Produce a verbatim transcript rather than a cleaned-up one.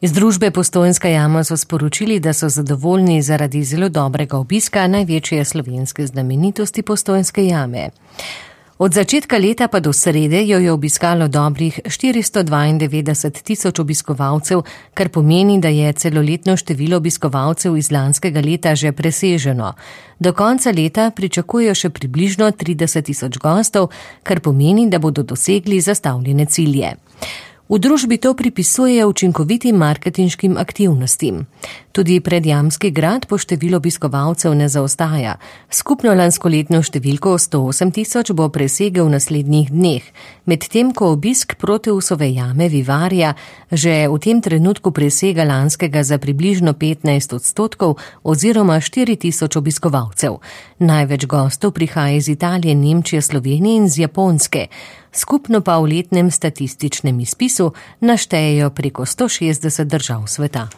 Iz družbe Postojnska jama so sporočili, da so zadovoljni zaradi zelo dobrega obiska največje slovenske znamenitosti Postojnske jame. Od začetka leta pa do srede jo je obiskalo dobrih štiristo dvaindevetdeset tisoč obiskovalcev, kar pomeni, da je celoletno število obiskovalcev iz lanskega leta že preseženo. Do konca leta pričakujejo še približno trideset tisoč gostov, kar pomeni, da bodo dosegli zastavljene cilje. V družbi to pripisujejo učinkovitim marketinškim aktivnostim. Tudi Predjamski grad po številu obiskovalcev ne zaostaja. Skupno lanskoletno številko sto osem tisoč bo presegel v naslednjih dneh, medtem ko obisk Proteusove jame Vivarja že v tem trenutku presega lanskega za približno petnajst odstotkov oziroma štiri tisoč obiskovalcev. Največ gostov prihaja iz Italije, Nemčije, Slovenije in z Japonske. Skupno pa v letnem statističnem izpisu naštejejo preko sto šestdeset držav sveta.